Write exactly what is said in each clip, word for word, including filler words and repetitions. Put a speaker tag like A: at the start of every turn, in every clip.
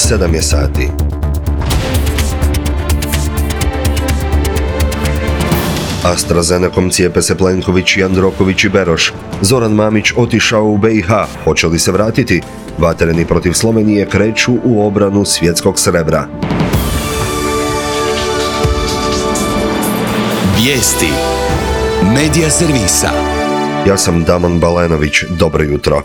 A: sedam je sati. AstraZenecom cijepe se Plenković, Jandroković i Beroš. Zoran Mamić otišao u B i H. Hoće li se vratiti? Vatreni protiv Slovenije kreću u obranu svjetskog srebra.
B: Vijesti Medija servisa.
A: Ja sam Damon Balenović. Dobro jutro.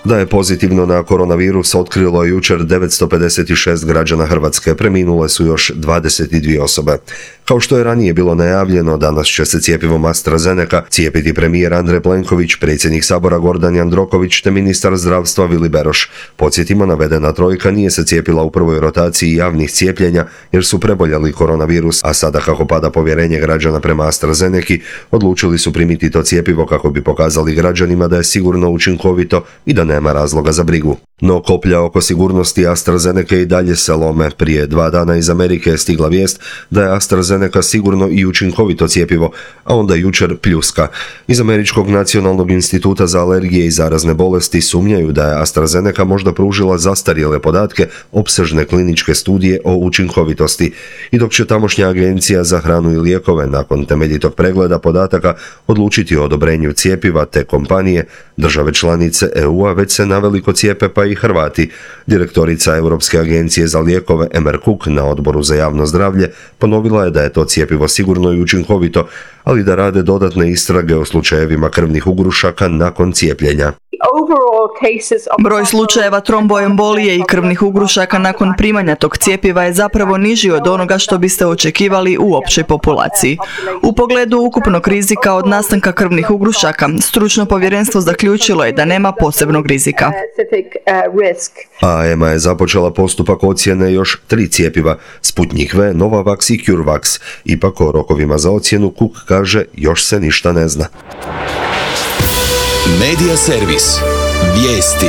A: Da je pozitivno na koronavirus otkrilo jučer devetsto pedeset šest građana Hrvatske, preminule su još dvadeset dvije osobe. Kao što je ranije bilo najavljeno, danas će se cjepivom AstraZeneca cijepiti premijer Andrej Plenković, predsjednik Sabora Gordan Jandroković te ministar zdravstva Vili Beroš. Podsjetimo, navedena trojka nije se cijepila u prvoj rotaciji javnih cijepljenja jer su preboljeli koronavirus, a sada kako pada povjerenje građana prema AstraZeneci, odlučili su primiti to cjepivo kako bi pokazali građanima da je sigurno, učinkovito i da nema razloga za brigu. No koplja oko sigurnosti AstraZeneca i dalje se lome. Prije dva dana iz Amerike je stigla vijest da je AstraZeneca sigurno i učinkovito cjepivo, a onda jučer pljuska. Iz Američkog nacionalnog instituta za alergije i zarazne bolesti sumnjaju da je AstraZeneca možda pružila zastarjele podatke opsežne kliničke studije o učinkovitosti. I dok će tamošnja agencija za hranu i lijekove nakon temeljitog pregleda podataka odlučiti o odobrenju cjepiva te kompanije, države članice E U-a već se naveliko cijepe, pa i Hrvati. Direktorica Europske agencije za lijekove Emer Cook na Odboru za javno zdravlje ponovila je da je to cjepivo sigurno i učinkovito, ali da rade dodatne istrage o slučajevima krvnih ugrušaka nakon cijepljenja.
C: Broj slučajeva tromboembolije i krvnih ugrušaka nakon primanja tog cjepiva je zapravo niži od onoga što biste očekivali u općoj populaciji. U pogledu ukupnog rizika od nastanka krvnih ugrušaka, stručno povjerenstvo zaključilo je da nema posebnog rizika.
A: A E M A je započela postupak ocjene još tri cjepiva, Sputnik V, Novavax i CureVac. Ipak o rokovima za ocjenu Cook kaže još se ništa ne zna.
B: Medija servis. Vijesti.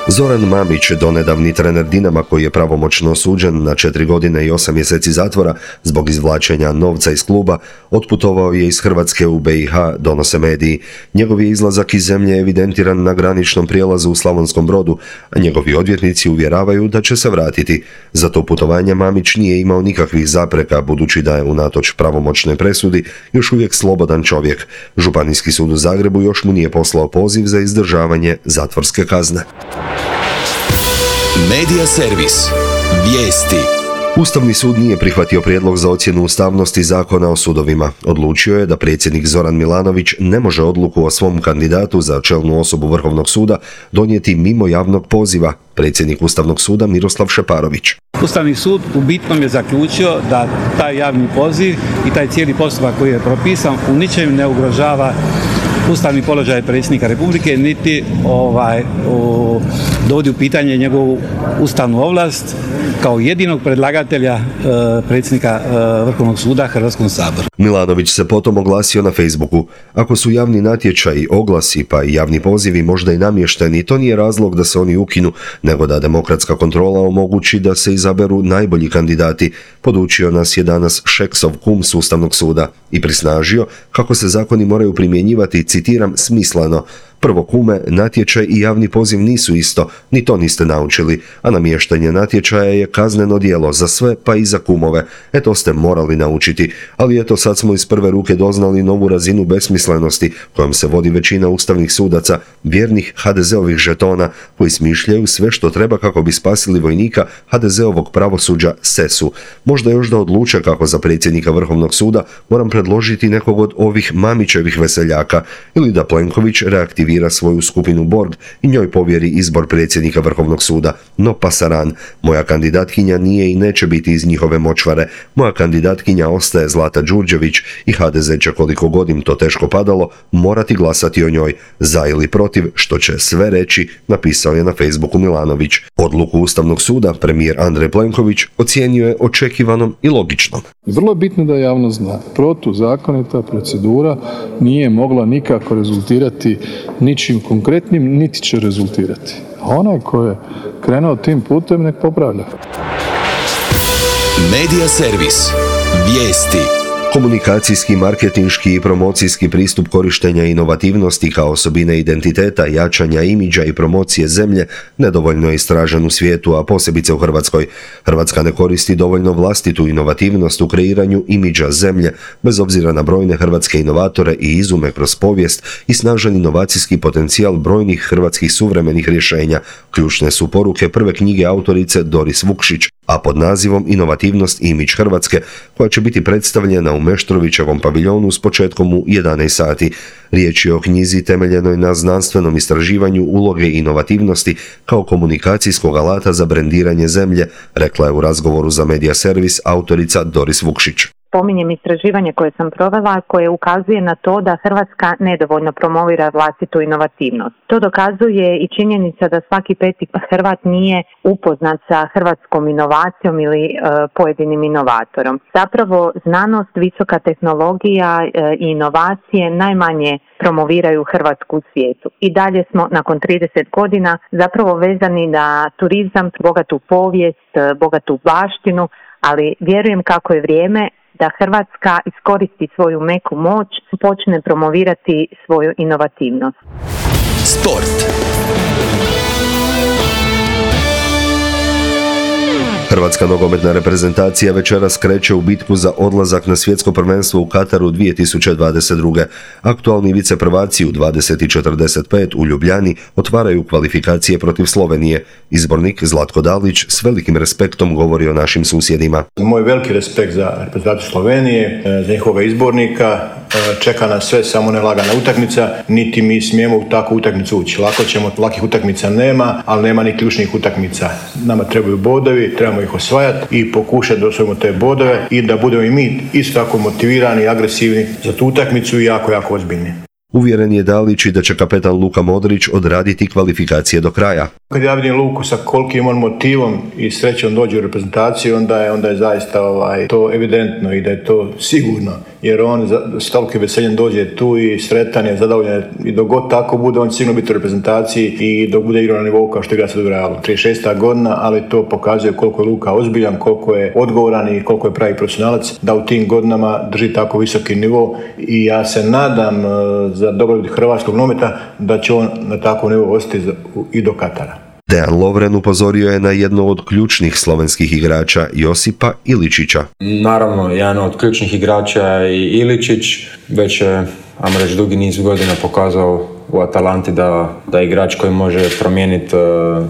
A: Zoran Mamić, donedavni trener Dinama koji je pravomoćno osuđen na četiri godine i osam mjeseci zatvora zbog izvlačenja novca iz kluba, otputovao je iz Hrvatske u B i H, donose mediji. Njegov je izlazak iz zemlje evidentiran na graničnom prijelazu u Slavonskom Brodu, a njegovi odvjetnici uvjeravaju da će se vratiti. Za to putovanje Mamić nije imao nikakvih zapreka, budući da je unatoč pravomoćnoj presudi još uvijek slobodan čovjek. Županijski sud u Zagrebu još mu nije poslao poziv za izdržavanje zatvorske kazne.
B: Medija servis. Vijesti.
A: Ustavni sud nije prihvatio prijedlog za ocjenu ustavnosti Zakona o sudovima. Odlučio je da predsjednik Zoran Milanović ne može odluku o svom kandidatu za čelnu osobu Vrhovnog suda donijeti mimo javnog poziva. Predsjednik Ustavnog suda Miroslav Šeparović.
D: Ustavni sud u bitnom je zaključio da taj javni poziv i taj cijeli postupak koji je propisan u ničem ne ugrožava ustavni položaj predsjednika Republike, niti ovaj, o, dovodi u pitanje njegovu ustavnu ovlast kao jedinog predlagatelja e, predsjednika e, Vrhovnog suda Hrvatskom saboru.
A: Milanović se potom oglasio na Facebooku. Ako su javni natječaji, oglasi pa i javni pozivi možda i namješteni, to nije razlog da se oni ukinu, nego da demokratska kontrola omogući da se izaberu najbolji kandidati, podučio nas je danas Šeksov kum s Ustavnog suda i prisnažio kako se zakoni moraju primjenjivati, citiram, smisleno. Prvo kume, natječaj i javni poziv nisu isto, ni to niste naučili, a namještanje natječaja je kazneno djelo za sve pa i za kumove. E to ste morali naučiti, ali eto sad smo iz prve ruke doznali novu razinu besmislenosti kojom se vodi većina ustavnih sudaca, vjernih ha de zeovih žetona koji smišljaju sve što treba kako bi spasili vojnika ha de zeovog pravosuđa Sesu. Možda još da odluče kako za predsjednika Vrhovnog suda moram predložiti nekog od ovih Mamićevih veseljaka ili da Plenković reaktivira svoju skupinu Borg i njoj povjeri izbor predsjednika Vrhovnog suda. No pasaran, moja kandidatkinja nije i neće biti iz njihove močvare. Moja kandidatkinja ostaje Zlata Đurđević i ha de ze će, koliko god im to teško padalo, morati glasati o njoj, za ili protiv, što će sve reći, napisao je na Facebooku Milanović. Odluku Ustavnog suda premijer Andrej Plenković ocijenio je očekivanom i logičnom.
E: Vrlo je bitno da javnost zna. Protuzakonita procedura nije mogla nikako rezultirati ničim konkretnim, niti će rezultirati. A onaj ko je krenuo tim putem, nek popravlja.
B: Medija servis. Vijesti.
A: Komunikacijski, marketinški i promocijski pristup korištenja inovativnosti kao osobine identiteta, jačanja imidža i promocije zemlje nedovoljno je istražen u svijetu, a posebice u Hrvatskoj. Hrvatska ne koristi dovoljno vlastitu inovativnost u kreiranju imidža zemlje, bez obzira na brojne hrvatske inovatore i izume kroz povijest i snažan inovacijski potencijal brojnih hrvatskih suvremenih rješenja. Ključne su poruke prve knjige autorice Doris Vukšić, a pod nazivom Inovativnost i imidž Hrvatske, koja će biti predstavljena u Meštrovićevom paviljonu s početkom u jedanaest sati. Riječ je o knjizi temeljenoj na znanstvenom istraživanju uloge inovativnosti kao komunikacijskog alata za brendiranje zemlje, rekla je u razgovoru za Media Servis autorica Doris Vukšić.
F: Spominjem istraživanje koje sam provela koje ukazuje na to da Hrvatska nedovoljno promovira vlastitu inovativnost. To dokazuje i činjenica da svaki peti Hrvat nije upoznat sa hrvatskom inovacijom ili e, pojedinim inovatorom. Zapravo znanost, visoka tehnologija e, i inovacije najmanje promoviraju Hrvatsku u svijetu. I dalje smo nakon trideset godina zapravo vezani na turizam, bogatu povijest, bogatu baštinu, ali vjerujem kako je vrijeme da Hrvatska iskoristi svoju meku moć, počne promovirati svoju inovativnost.
B: Sport.
A: Hrvatska nogometna reprezentacija večeras kreće u bitku za odlazak na svjetsko prvenstvo u Kataru dvije tisuće dvadeset druge. Aktualni viceprvaci u dvadeset četrdeset pet u Ljubljani otvaraju kvalifikacije protiv Slovenije. Izbornik Zlatko Dalić s velikim respektom govori o našim susjedima.
G: Moj veliki respekt za reprezentaciju Slovenije, za njihovoga izbornika. Čeka nas sve, samo ne lagana utakmica, niti mi smijemo u takvu utakmicu ući. Lako ćemo, lakih utakmica nema, ali nema ni ključnih utakmica. Nama trebaju bodovi, trebamo ih osvajati i pokušati da osvojimo te bodove i da budemo i mi isto tako motivirani i agresivni za tu utakmicu i jako, jako ozbiljni.
A: Uvjeren je Dalić i da će kapetan Luka Modrić odraditi kvalifikacije do kraja.
G: Kad ja vidim Luku sa kolikim on motivom i srećom dođe u reprezentaciju, onda je, onda je zaista ovaj, to evidentno i da je to sigurno. Jer on s tolikim veseljem dođe tu i sretan je, zadovoljan i dok god tako bude, on će sigurno biti u reprezentaciji i dok bude igrao na nivou kao što igra sad u Realu. trideset šesta godina, ali to pokazuje koliko je Luka ozbiljan, koliko je odgovoran i koliko je pravi profesionalac, da u tim godinama drži tako visoki nivo i ja se nadam za dobrobit hrvatskog nogometa da će on na takvom nivou ostati i do Katara.
A: Dejan Lovren upozorio je na jedno od ključnih slovenskih igrača Josipa Iličića.
H: Naravno, jedan od ključnih igrača je i Iličić, već je, ajmo reći, dugi niz godina pokazao u Atalanti da, da je igrač koji može promijeniti uh,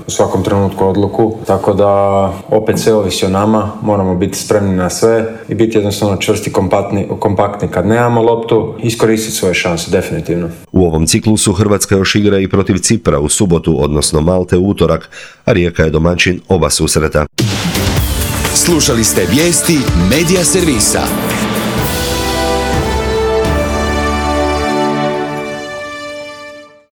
H: u svakom trenutku odluku. Tako da opet sve ovisi o nama, moramo biti spremni na sve i biti jednostavno čvrsti, kompaktni, kompaktni kad nemamo loptu, iskoristiti svoje šanse, definitivno.
A: U ovom ciklusu Hrvatska još igra i protiv Cipra u subotu, odnosno Malte u utorak, a Rijeka je domaćin oba susreta.
B: Slušali ste vijesti Media Servisa.